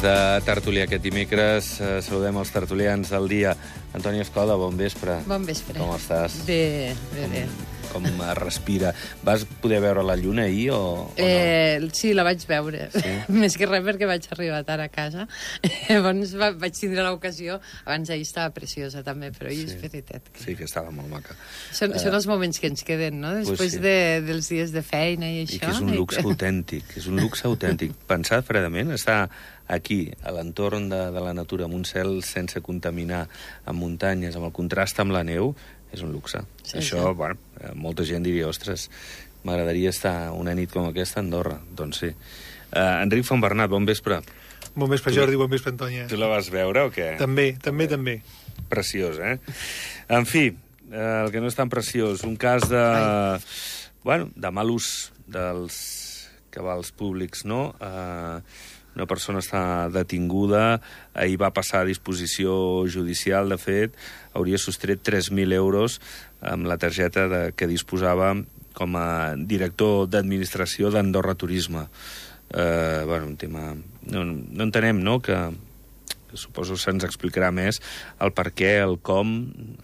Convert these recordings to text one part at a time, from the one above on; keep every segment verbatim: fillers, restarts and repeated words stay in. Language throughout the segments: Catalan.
Des de Tertúlia aquest dimecres eh, saludem els tertulians del dia. Antoni Escoda, bon vespre. Bon vespre. Com estàs? Bé, bé, bé. Com, com respira. Vas poder veure la lluna ahir o, o eh, no? Sí, la vaig veure. Sí? Més que res perquè vaig arribar tard a casa. Llavors va, vaig tindre l'ocasió. Abans ahir estava preciosa també, però ahir sí. És veritat. Que... Sí, que estava molt maca. Són, uh, són els moments que ens queden, no? Després pues sí. de, dels dies de feina i això. I que és un luxe autèntic. És un luxe autèntic. Pensar fredament, estar aquí, a l'entorn de, de la natura, amb un cel sense contaminar, amb muntanyes, amb el contrast amb la neu, és un luxe. Sí, això, sí. Bueno, molta gent diria, ostres, m'agradaria estar una nit com aquesta a Andorra. Doncs sí. Uh, Enric Fontbernat, bon vespre. Bon vespre, Jordi, bon vespre, Antònia. Tu la vas veure o què? També, també, també. Preciós, eh? En fi, uh, el que no és tan preciós, un cas de... Ai. Bueno, de mal ús dels cabals públics, no? Uh, una persona està detinguda, ahir va passar a disposició judicial, de fet, hauria sostret tres mil euros amb la targeta de, que disposava com a director d'administració d'Andorra Turisme. Eh, bueno, un tema... No, no entenem, no?, que, que suposo se'ns explicarà més el per què, el com,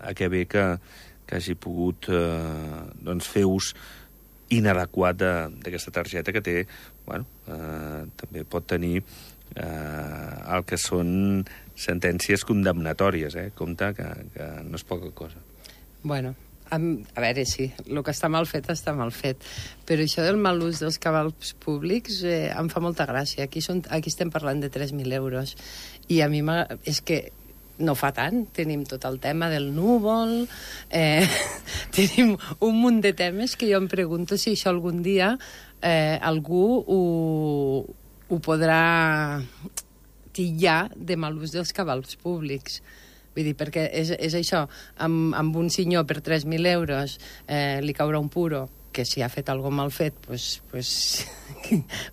a què ve que, que hagi pogut eh, doncs fer ús inadequat d'aquesta targeta que té, bueno, eh, també pot tenir eh, el que són sentències condemnatòries, eh? Compte que, que no és poca cosa. Bueno, a, a veure, sí, el que està mal fet està mal fet, però això del mal ús dels cabals públics eh, em fa molta gràcia. Aquí, són, aquí estem parlant de tres mil euros, i a mi és que no fa tant, tenim tot el tema del núvol, eh, tenim un munt de temes que jo em pregunto si això algun dia eh, algú ho, ho podrà titllar de mal ús dels cabals públics. Vull dir, perquè és, és això, amb, amb un senyor per tres mil euros eh, li caurà un puro, que si ha fet alguna mal fet, pues, pues,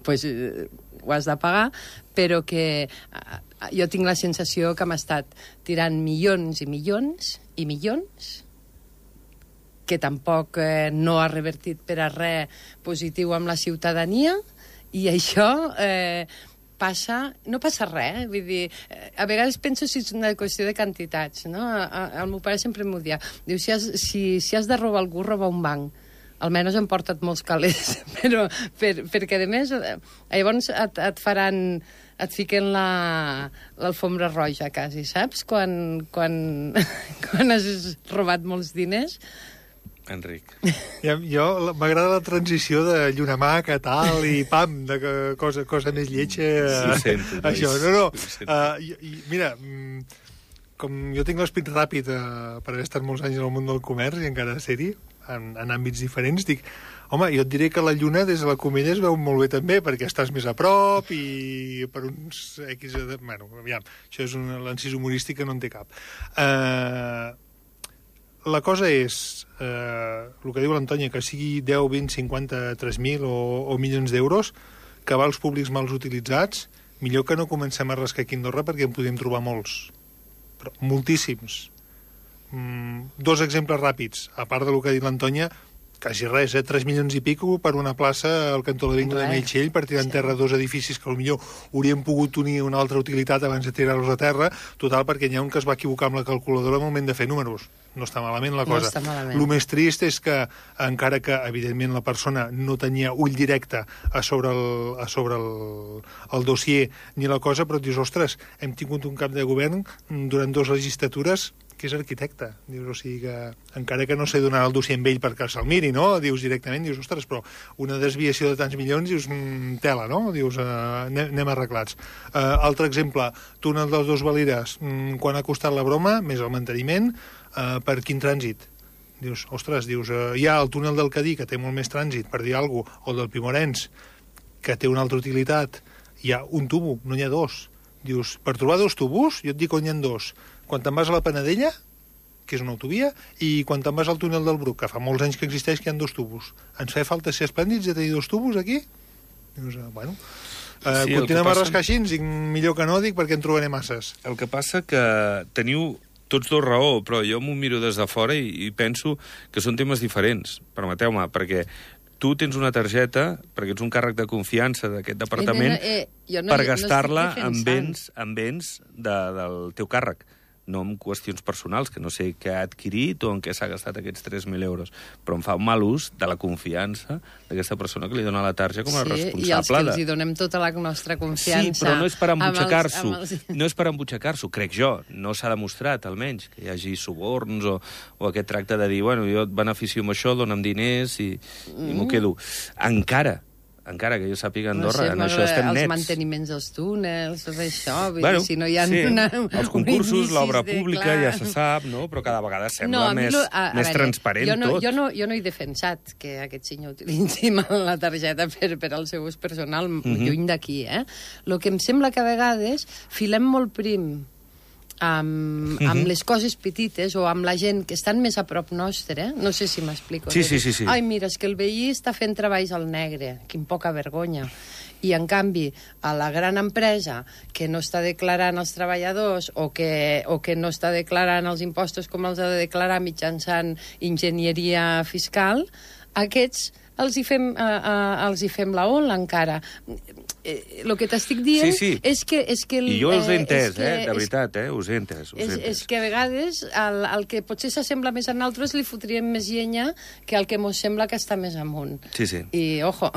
pues, eh, ho has de pagar, però que eh, jo tinc la sensació que hem estat tirant milions i milions i milions, que tampoc eh, no ha revertit per a res positiu amb la ciutadania, i això eh, passa... No passa res, eh? Vull dir, eh, a vegades penso si és una qüestió de quantitats, no? A, a, el meu pare sempre m'ho dia. Diu, si has, si, si has de robar algú, roba un banc. Almenys han portat molts calés, però per, perquè, a més, llavors et, et faran... et fiquen l'alfombra la, roja, quasi, saps? Quan, quan, quan has robat molts diners. Enric. Ja, jo m'agrada la transició de llunamaca, tal, i pam, de cosa, cosa més lletja. Ho sento. Això, no, no. Uh, i, i, mira, com jo tinc l'espit ràpid uh, per haver estat molts anys en el món del comerç i encara ser-hi, en, en àmbits diferents, dic, home, jo et diré que la lluna des de la Comella es veu molt bé també, perquè estàs més a prop i per uns X... De... Bueno, aviam, això és un l'encís humorístic que no en té cap. Uh, la cosa és, uh, el que diu l'Antònia, que sigui deu, vint, cinquanta, tres mil o, o milions d'euros, cabals públics mals utilitzats, millor que no comencem a rascar aquí a Andorra perquè en podem trobar molts, però moltíssims. Mm, dos exemples ràpids, a part del que ha dit l'Antònia, quasi res, eh? tres milions i pico per una plaça al cantó de la Vinga de Meritxell per tirar en terra dos edificis que potser haurien pogut unir una altra utilitat abans de tirar-los a terra, total perquè n'hi ha un que es va equivocar amb la calculadora al moment de fer números. No està malament la cosa. No està malament. El més trist és que, encara que evidentment la persona no tenia ull directe a sobre el, a sobre el, el dossier ni la cosa, però et dius, ostres, hem tingut un cap de govern durant dues legislatures que és arquitecte. Dius, o sigui que, encara que no sé donar el dossier amb ell perquè se'l miri, no? Dius directament, dius, ostres, però una desviació de tants milions, dius, mm, tela, no? Dius, uh, anem, anem arreglats. Uh, altre exemple, túnel dels Dos Valires, mm, quan ha costat la broma, més el manteniment, uh, per quin trànsit? Dius, ostres, dius, uh, hi ha el túnel del Cadí, que té molt més trànsit, per dir alguna cosa, o el del Primorens, que té una altra utilitat, hi ha un tubo, no n'hi ha dos. Dius, per trobar dos tubos, jo et dic on n'hi ha dos. Quan te'n vas a la Panadella, que és una autovia, i quan te'n vas al túnel del Bruc, que fa molts anys que existeix que hi ha dos tubos. Ens fa falta ser esplèndids de tenir dos tubos aquí? Dius, uh, bueno... Uh, sí, continuem passa... a rascar així, dic, millor que no, dic, perquè en trobaré masses. El que passa que teniu tots dos raó, però jo m'ho miro des de fora i, i penso que són temes diferents, permeteu-me, perquè tu tens una targeta, perquè ets un càrrec de confiança d'aquest departament, eh, eh, no, per no gastar-la en béns, en béns de, del teu càrrec, no en qüestions personals, que no sé què ha adquirit o en què s'ha gastat aquests tres mil euros, però em fa un mal ús de la confiança d'aquesta persona que li dona la tarja com a sí, responsable. I els que de... els hi donem tota la nostra confiança. Sí, però no és per embutxacar-s'ho. Els... No és per embutxacar-s'ho, crec jo. No s'ha demostrat, almenys, que hi hagi suborns o, o aquest tracte de dir, bueno, jo et beneficio amb això, dona'm diners i, mm. i m'ho quedo. Encara, encara que jo sàpiga Andorra, no sé, en això estem els nets. Els manteniments dels túnels, tot això, bueno, si no hi ha sí, una, els concursos, l'obra de, pública, clar. ja se sap, no? Però cada vegada sembla no, més, lo, a, a més veure, transparent jo no, tot. Jo no, jo no he defensat que aquest senyor utilitzi mal la targeta per, per al seu ús personal, mm-hmm. lluny d'aquí, eh? El que em sembla que a vegades filem molt prim amb, amb mm-hmm. les coses petites o amb la gent que estan més a prop nostre, no sé si m'explico. Sí, sí, sí, sí. Ai, mira, és que el veí està fent treballs al negre, quin poca vergonya. I, en canvi, a la gran empresa que no està declarant els treballadors o que, o que no està declarant els impostos com els ha de declarar mitjançant enginyeria fiscal, aquests els hi fem, uh, uh, els hi fem la ola encara. El que t'estic dient sí, sí. és que... És que el, I jo us he entès, que, eh? De veritat, eh? Us he entès. Us és, he entès. és que a vegades el, el que potser s'assembla més a nosaltres li fotríem més llenya que el que mos sembla que està més amunt. Sí, sí. I, ojo...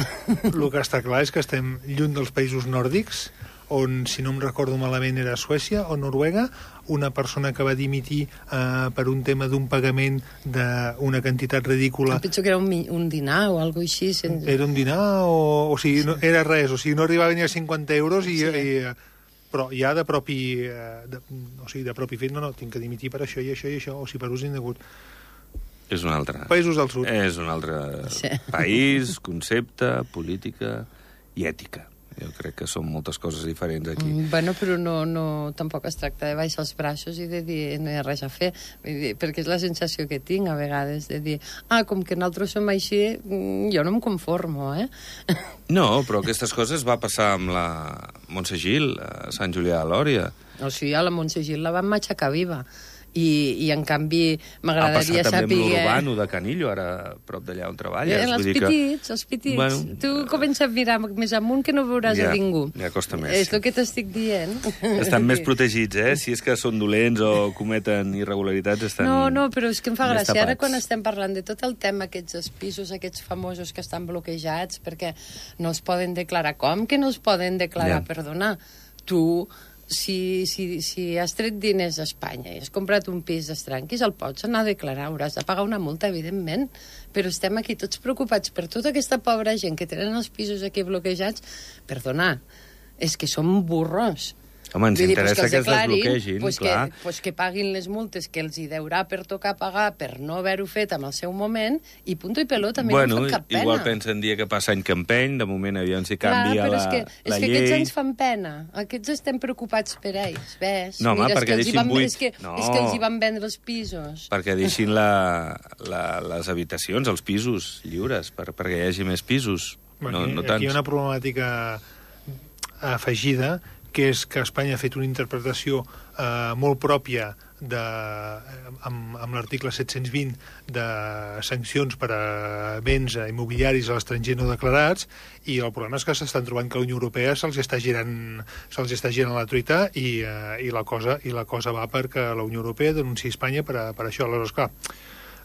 El que està clar és que estem lluny dels països nòrdics, on, si no em recordo malament, era Suècia o Noruega, una persona que va dimitir eh, per un tema d'un pagament d'una quantitat ridícula. Em penso que era un, un dinar o alguna així. Sense... Era un dinar o... O sigui, no, era res, o sigui, no arribava ni a cinquanta euros i... Sí. i però ja de propi... De, o sigui, de propi fet, no, no, tinc que dimitir per això i això i això, o sigui, per ús indegut. És un altre... Països del sud. És un altre sí. país, concepte, política i ètica. Jo crec que són moltes coses diferents aquí. Mm, bueno, però no, no, tampoc es tracta de baixar els braços i de dir no hi ha res a fer, dir, perquè és la sensació que tinc a vegades, de dir ah, com que nosaltres som així, jo no em conformo, eh? No, però aquestes coses va passar amb la Montse Gil, a Sant Julià de Lòria. O sigui, a la Montse Gil la van matxacar viva. I, i en canvi m'agradaria saber... Ha passat també amb l'Urbano de Canillo, ara a prop d'allà on treballes. Eh, els petits, que... els petits. Bueno, tu comença a mirar més amunt que no veuràs ja, a ningú. Ja costa més. És el que t'estic dient. Estan més protegits, eh? Si és que són dolents o cometen irregularitats, estan No, no, però és que em fa gràcia. tapats. Ara quan estem parlant de tot el tema, aquests pisos, aquests famosos que estan bloquejats perquè no es poden declarar. Com que no es poden declarar? Ja. Perdona, tu... Si, si, si has tret diners a Espanya i has comprat un pis d'estranquis, el pots anar a declarar, hauràs de pagar una multa, evidentment, però estem aquí tots preocupats per tota aquesta pobra gent que tenen els pisos aquí bloquejats. Perdona, és que som burros. Home, ens Vull dir, interessa pues que, que es desbloquegin, pues clar. Que, pues que paguin les multes que els hi deurà per tocar pagar per no haver-ho fet en el seu moment i punto i pelota, a mi bueno, no em fa cap pena. Igual pensen dia que passa any campeny, de moment aviam si canvia clar, la, és que, la és que llei. aquests ens fan pena. Aquests estem preocupats per ells, ves? No, home, Mira, perquè deixin van, buit... És que, no. és que els hi van vendre els pisos. Perquè deixin la, la, les habitacions, els pisos lliures, per, perquè hi hagi més pisos. Bueno, no, no aquí tants. hi ha una problemàtica afegida, que és que Espanya ha fet una interpretació eh, molt pròpia de, amb, amb l'article set-cents vint de sancions per a béns immobiliaris a l'estranger no declarats, i el problema és que s'estan trobant que la Unió Europea se'ls està girant se'ls està girant la truita i, eh, i, la cosa, i la cosa va perquè la Unió Europea denunciï Espanya per, a, per això. Aleshores, clar,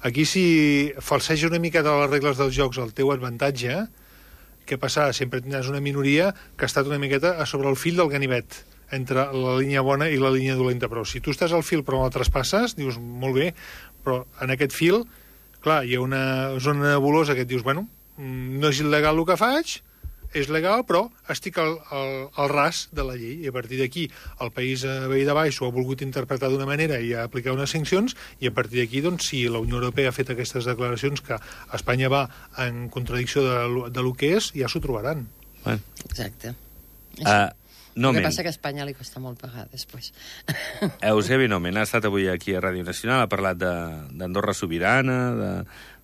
aquí si falseja una mica de les regles dels jocs al teu avantatge, què passarà? Sempre tindràs una minoria que ha estat una miqueta a sobre el fil del ganivet, entre la línia bona i la línia dolenta. Però si tu estàs al fil però no la traspasses, dius, molt bé, però en aquest fil, clar, hi ha una zona nebulosa que et dius, bueno, no és il·legal el que faig, és legal, però estic al, al, al ras de la llei. I a partir d'aquí, el país veí de baix ho ha volgut interpretar d'una manera i ha aplicat unes sancions, i a partir d'aquí, doncs, si la Unió Europea ha fet aquestes declaracions que Espanya va en contradicció de, de lo que és, ja s'ho trobaran. Bueno. Exacte. Uh, el que passa que a Espanya li costa molt pagar després. Eusebi Nomen ha estat avui aquí a Ràdio Nacional, ha parlat d'Andorra sobirana, de...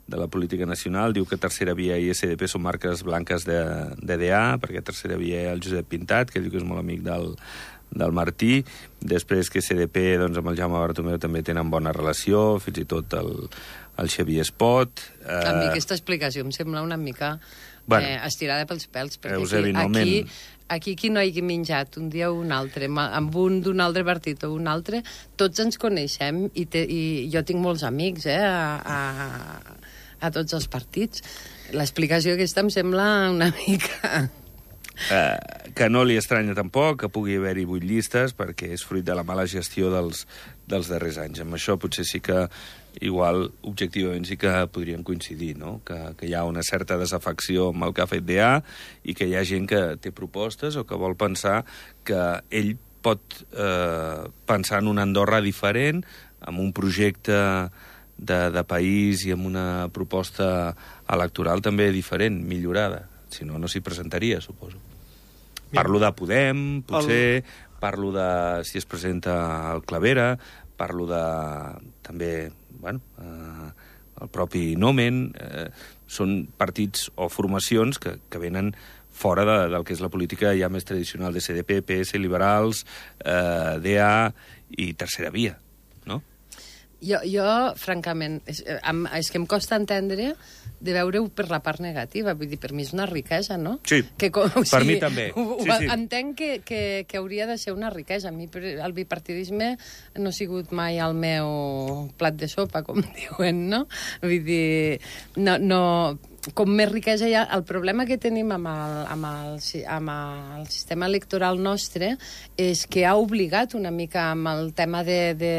de la política nacional, diu que Tercera Via i S D P són marques blanques de, de D A, perquè Tercera Via hi ha el Josep Pintat, que diu que és molt amic del, del Martí, després que C D P, doncs, amb el Jaume Bartomeu també tenen bona relació, fins i tot el, el Xavier Espot... Eh... A mi aquesta explicació em sembla una mica bueno, eh, estirada pels pèls, perquè Eusebi, aquí, aquí, aquí qui no hagi menjat un dia o un altre, amb un d'un altre partit o un altre, tots ens coneixem i, te, i jo tinc molts amics eh, a, a, a tots els partits. L'explicació aquesta em sembla una mica... Eh, que no li estranya tampoc que pugui haver-hi vuit llistes perquè és fruit de la mala gestió dels, dels darrers anys. Amb això potser sí que igual objectivament sí que podríem coincidir, no? que, que hi ha una certa desafecció amb el que ha fet D A i que hi ha gent que té propostes o que vol pensar que ell pot eh, pensar en una Andorra diferent, amb un projecte de, de país i amb una proposta electoral també diferent, millorada. Si no, no s'hi presentaria, suposo. Parlo de Podem, potser, el... parlo de si es presenta el Clavera, parlo de també, bueno, eh, el propi Nomen. Eh, són partits o formacions que, que venen fora de, del que és la política ja més tradicional de C D P, P S, Liberals, eh, D A i Tercera Via, no? Jo, jo francament, és, és que em costa entendre de veure-ho per la part negativa. Vull dir, per mi és una riquesa, no? Sí, que, o sigui, per mi també. Ho, ho, sí, sí. Entenc que, que, que hauria de ser una riquesa. A mi el bipartidisme no ha sigut mai el meu plat de sopa, com diuen, no? Vull dir, no... no com més riquesa hi ha... El problema que tenim amb el, amb el, amb el sistema electoral nostre és que ha obligat una mica amb el tema de... de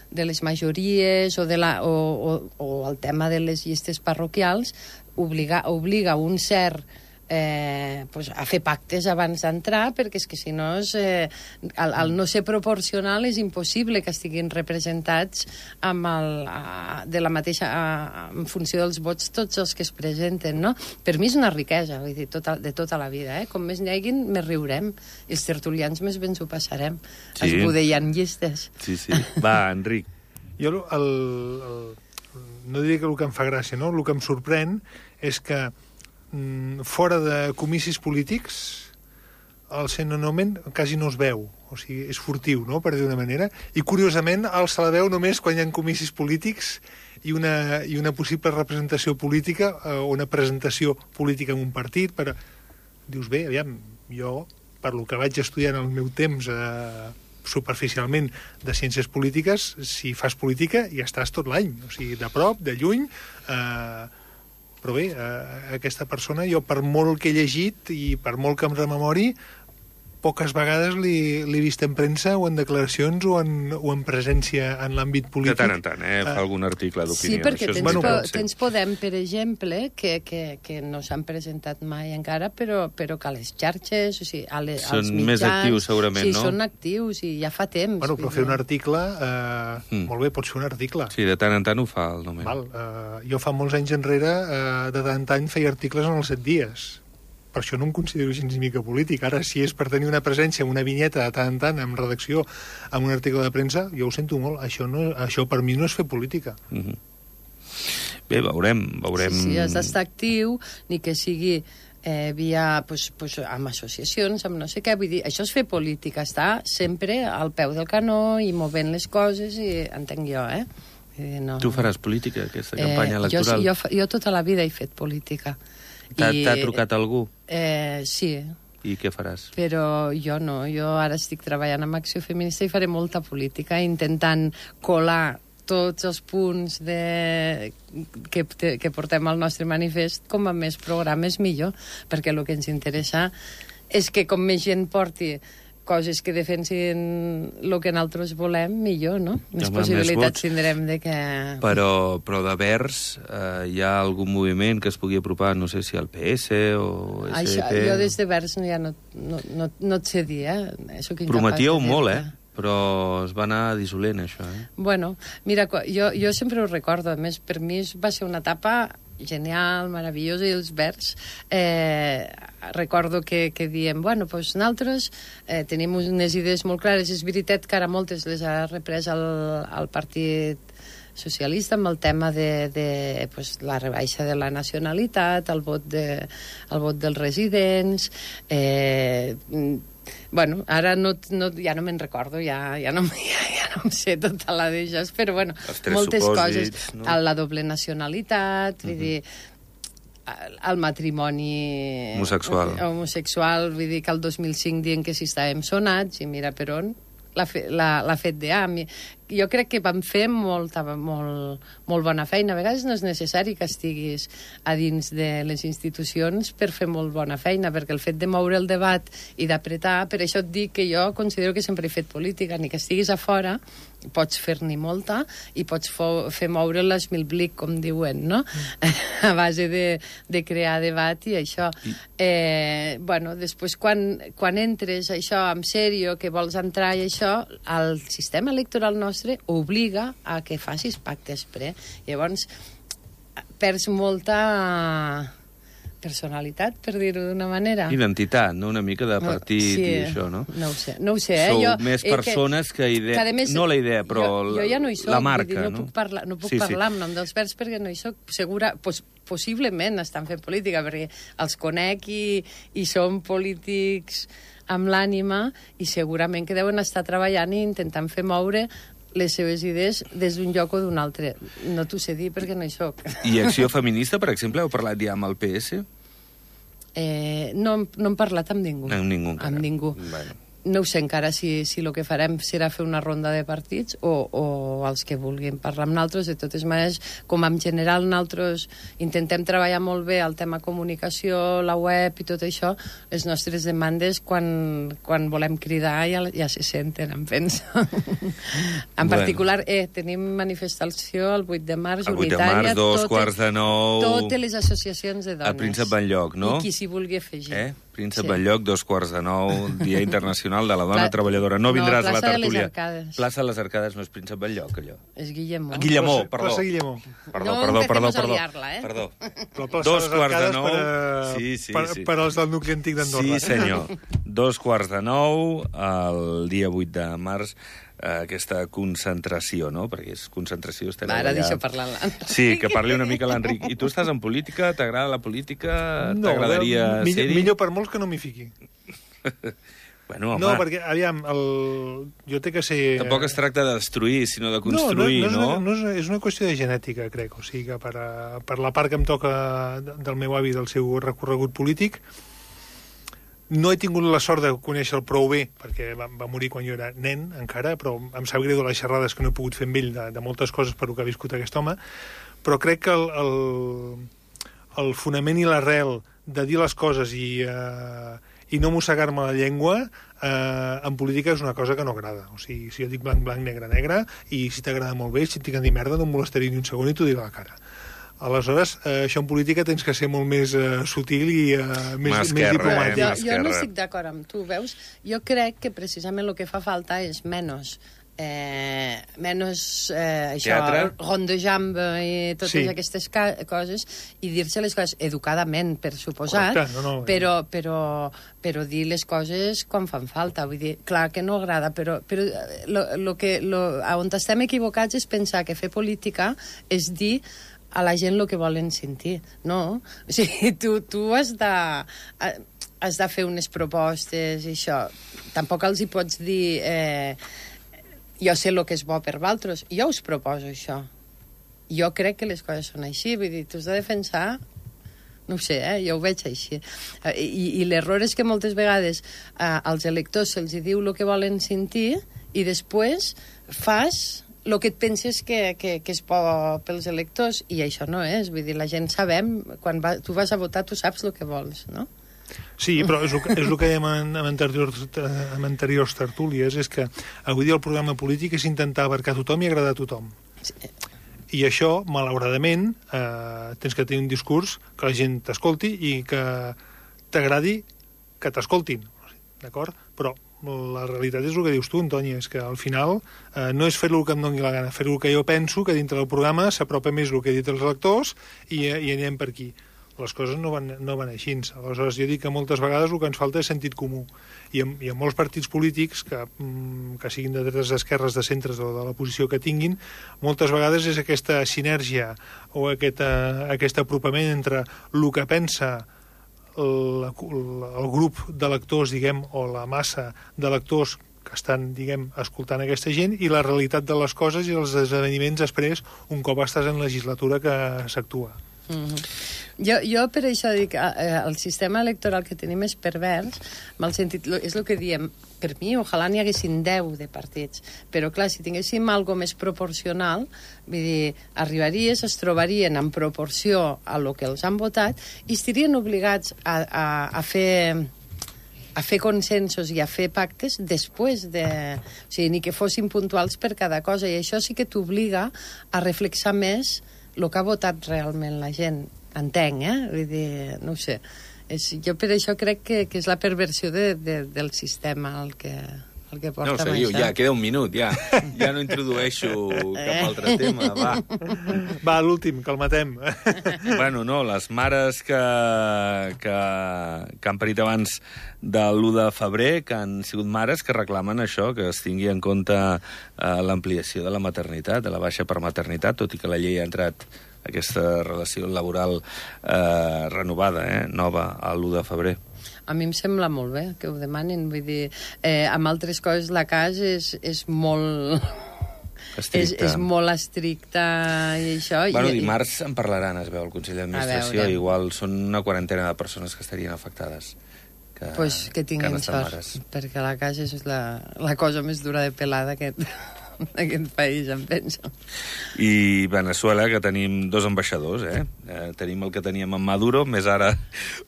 de les majories o, de la, o, o, o el tema de les llistes parroquials obliga, obliga un cert eh, pues a fer pactes abans d'entrar, perquè és que si no és, eh, al, al no ser proporcional és impossible que estiguin representats amb el, a, de la mateixa, a, en funció dels vots tots els que es presenten, no? Per mi és una riquesa, vull dir, tota, de tota la vida, eh? Com més n'hi hagin, més riurem, i els tertulians més ben s'ho passarem, sí. Esbudellant llistes. Sí, sí. Va, Enric. Jo el, el, el, no diria que el que em fa gràcia, no? El que em sorprèn és que fora de comicis polítics el Senonomen quasi no es veu, o sigui, és furtiu, no?, per dir d'una manera, i curiosament el se la veu només quan hi ha comicis polítics i una, i una possible representació política o eh, una presentació política en un partit. Per... Dius, bé, aviam, jo, per lo que vaig estudiar en el meu temps eh, superficialment de ciències polítiques, si fas política ja estàs tot l'any, o sigui, de prop, de lluny, eh, però bé, eh, aquesta persona, jo per molt que he llegit i per molt que em rememori, poques vegades li, li he vist en premsa o en declaracions o en, o en presència en l'àmbit polític. De tant en tant, eh? Fa uh, algun article d'opinió. Sí, perquè tens, bueno, po tens Podem, per exemple, que, que, que no s'han presentat mai encara, però, però que a les xarxes, o sigui, a les, són als mitjans... més actius, segurament, sí, no? Sí, són actius i ja fa temps. Bueno, però fer un article... Eh, mm. Molt bé, pots fer un article. Sí, de tant en tant ho fa el Nomen. Val, eh, jo fa molts anys enrere, eh, de tant en tant, feia articles en els set dies. Per això no em considero gens ni mica polític. Ara, si és per tenir una presència, una vinyeta de tant en tant, en redacció, en un article de premsa, jo ho sento molt. Això, no, això per mi no és fer política. Mm-hmm. Bé, veurem. veurem... Sí, sí, has d'estar actiu, ni que sigui eh, via, pues, pues, amb associacions, amb no sé què. Vull dir, això és fer política, estar sempre al peu del canó i movent les coses, i entenc jo, eh? No. Tu faràs política, aquesta campanya eh, electoral? Jo, jo, jo tota la vida he fet política. T'ha trucat algú? Eh, sí. I què faràs? Però jo no, jo ara estic treballant amb Acció Feminista i faré molta política, intentant colar tots els punts de... que, que portem al nostre manifest com a més programes millor, perquè el que ens interessa és que com més gent porti coses que defensin el que nosaltres volem, millor, no? Més Home, possibilitats més tindrem de que... Però, però de Verds eh, hi ha algun moviment que es pugui apropar, no sé si al P S o S D P... Això, jo des de Verds ja no, no, no, no et sé dir, eh? Prometíeu molt, eh? Però es va anar dissolent, això, eh? Bueno, mira, jo, jo sempre ho recordo. A més, per mi va ser una etapa genial, meravellosa, i els Verds eh, recordo que, que diem, bueno, doncs nosaltres eh, tenim unes idees molt clares. És veritat que ara moltes les ha reprès el, el Partit Socialista amb el tema de, de pues, la rebaixa de la nacionalitat, el vot, de, el vot dels residents, eh, Bueno, ara no, no, ja no me'n recordo, ja, ja, no, ja, ja no em sé tota la d'elles, però bueno, moltes supòsits, coses. No? La doble nacionalitat, vull uh-huh. dir, el matrimoni homosexual. homosexual, vull dir que el dos mil cinc dient que si estàvem sonats, i mira per on l'ha fet de A. Jo crec que vam fer molta, molt, molt bona feina. A vegades no és necessari que estiguis a dins de les institucions per fer molt bona feina, perquè el fet de moure el debat i d'apretar, per això et dic que jo considero que sempre he fet política, ni que estiguis a fora, pots fer-n'hi molta i pots fer moure l'esmilblic, com diuen, no? Mm. A base de, de crear debat i això. I... Eh, bueno, després, quan, quan entres això en sèrio, que vols entrar i això, el sistema electoral nostre obliga a que facis pactes pre. Llavors, perds molta personalitat, per dir-ho d'una manera. Identitat, no? Una mica de partit sí, i això, no? No ho sé, no ho sé. Eh? Sou jo, més persones que, que idea... Que més, no la idea, però jo, jo ja no hi soc, la marca, dir, no, no? Puc parlar, no puc sí, parlar sí. en nom dels verds perquè no hi soc segura... Pues, possiblement estan fent política, perquè els conec i, i són polítics amb l'ànima i segurament que deuen estar treballant i intentant fer moure les seves idees des d'un lloc o d'un altre. No t'ho sé dir perquè no hi soc. I Acció Feminista, per exemple, heu parlat ja amb el P S? Eh, no, no hem parlat amb ningú. Amb ningú encara. Amb ningú. Bueno. No ho sé encara si, si el que farem serà fer una ronda de partits o, o els que vulguin parlar amb nosaltres. De totes maneres, com en general nosaltres intentem treballar molt bé el tema comunicació, la web i tot això, les nostres demandes quan, quan volem cridar ja, ja se senten, em penso. En particular, eh, tenim manifestació el vuit de març, el vuit unitària. de març, dos totes, quarts de nou... Totes les associacions de dones. A Príncep Benlloc, no? I qui s'hi vulgui afegir. Eh? Príncep sí. Benlloc, dos quarts de nou, Dia Internacional de la Dona Pla... Treballadora. No vindràs no, a la tertúlia. Plaça de les Arcades. Plaça de les Arcades no és Príncep Benlloc, allò. És Guillemó. Guillemó, perdó. Plaça Guillemó. Perdó, no perdó, perdó, perdó. Liar-la, eh? Perdó. Dos quarts de nou... Per, a... sí, sí, per, sí. per als del nucli antic d'Andorra. Sí, senyor. Dos quarts de nou, el dia vuit de març, aquesta concentració, no? Perquè és concentració... Va, ara allà... deixa parlar l'Enric. Sí, que parli una mica l'Enric. I tu estàs en política? T'agrada la política? No, t'agradaria millor, ser-hi? Millor per molts que no m'hi fiqui. Bueno, home... No, perquè, aviam, el... jo té que ser... Tampoc es tracta de destruir, sinó de construir, no? No, no, no? És, una, no és, és una qüestió de genètica, crec. O sigui que per, a, per la part que em toca del meu avi, del seu recorregut polític, no he tingut la sort de conèixer-lo prou bé, perquè va, va morir quan jo era nen, encara, però em sap greu de les xerrades que no he pogut fer amb ell, de, de moltes coses per el que ha viscut aquest home, però crec que el, el, el fonament i l'arrel de dir les coses i, eh, i no mossegar-me la llengua eh, en política és una cosa que no agrada. O sigui, si jo dic blanc, blanc, negre, negre, i si t'agrada molt bé, si et dic a dir merda, no em molestaré ni un segon i t'ho diré a la cara. Aleshores, eh, això en política tens que ser molt més eh, sutil i eh, més, més diplomàtic. Eh? Jo, jo no estic d'acord amb tu, veus? Jo crec que precisament el que fa falta és menys eh, menys eh, això, rondejambe i totes sí. aquestes coses i dir-se les coses educadament, per suposat, Correcte, no, no, però, però, però dir les coses quan fan falta. Vull dir, clar que no agrada, però, però lo, lo que, lo, on estem equivocats és pensar que fer política és dir a la gent el que volen sentir, no? O sigui, tu, tu has de, has de fer unes propostes i això. Tampoc els hi pots dir eh, jo sé el que és bo per vosaltres. Jo us proposo això. Jo crec que les coses són així. Vull dir, tu has de defensar... No ho sé, eh? Jo ho veig així. I, i l'error és que moltes vegades eh, als electors se'ls diu el que volen sentir i després fas... el que et penses que, que, que és bo pels electors, i això no és. Vull dir, la gent sabem, quan va, tu vas a votar, tu saps el que vols, no? Sí, però és el, és el que dèiem en, en, anteriors, en anteriors tertúlies, és que avui dia el programa polític és intentar abarcar tothom i agradar a tothom. Sí. I això, malauradament, eh, tens que tenir un discurs que la gent t'escolti i que t'agradi que t'escoltin, d'acord? Però la realitat és el que dius tu, Antoni, és que al final eh, no és fer-lo el que em doni la gana, fer-lo el que jo penso, que dintre del programa s'apropa més el que he dit als lectors i, i anem per aquí. Les coses no van, no van així. Aleshores, jo dic que moltes vegades el que ens falta és sentit comú. I en, i en molts partits polítics, que, que siguin de dretes, d'esquerres, de centres o de la posició que tinguin, moltes vegades és aquesta sinergia o aquest, aquest apropament entre el que pensa la, el grup de lectors, diguem, o la massa de lectors que estan, diguem, escoltant aquesta gent, i la realitat de les coses i els esdeveniments després, un cop estàs en legislatura que s'actua. Mm-hmm. Jo, jo per això dic, eh, el sistema electoral que tenim és pervers, mal sentit, és el que diem, per mi, ojalà n'hi haguessin deu de partits, però clar, si tinguéssim algo més proporcional, vull dir, arribaries, es trobarien en proporció a lo que els han votat i estarien obligats a, a, a fer a fer consensos i a fer pactes després de... O sigui, ni que fossin puntuals per cada cosa, i això sí que t'obliga a reflexar més el que ha votat realment la gent. Entenc, eh? Vull dir, no ho sé. És, jo per això crec que, que és la perversió de, de, del sistema el que, el que porta no, seguiu, ja, queda un minut, ja. Ja no introdueixo cap altre tema, va. Va, l'últim, que el matem. Bueno, no, les mares que, que, que han parit abans de l'u de febrer, que han sigut mares que reclamen això, que es tingui en compte eh, l'ampliació de la maternitat, de la baixa per maternitat, tot i que la llei ha entrat aquesta relació laboral eh, renovada, eh, nova, a l'u de febrer. A mi em sembla molt bé que ho demanin, vull dir, eh, amb altres coses la casa és, és molt... És, és molt estricta i això... Bueno, i, dimarts en parlaran, es veu, el Consell d'Administració, igual són una quarantena de persones que estarien afectades. Que, pues que tinguin que sort, mares. perquè la casa és la, la cosa més dura de pelar d'aquest... d'aquest país, em penso. I Venezuela, que tenim dos ambaixadors, eh? eh? Tenim el que teníem en Maduro, més ara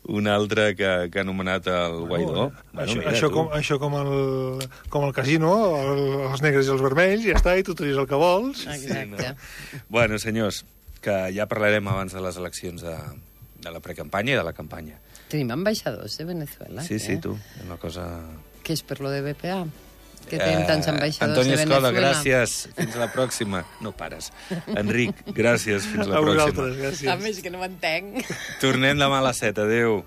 un altre que, que ha anomenat el Guaidó. Bueno, això, mira, això, com, això com, el, com el casino, el, els negres i els vermells, ja està, i tu tries el que vols. Exacte. Sí, no? Bueno, senyors, que ja parlarem abans de les eleccions de, de la precampanya i de la campanya. Tenim ambaixadors de Venezuela. Sí, que... sí, tu, és una cosa... Que és per lo de B P A? Que tenim tants ambaixadors Antoni de Escoda, Venezuela. gràcies. Fins la pròxima. No pares. Enric, gràcies. Fins la a pròxima. vosaltres, gràcies. A més que no m'entenc. Tornem demà a les set. Adéu.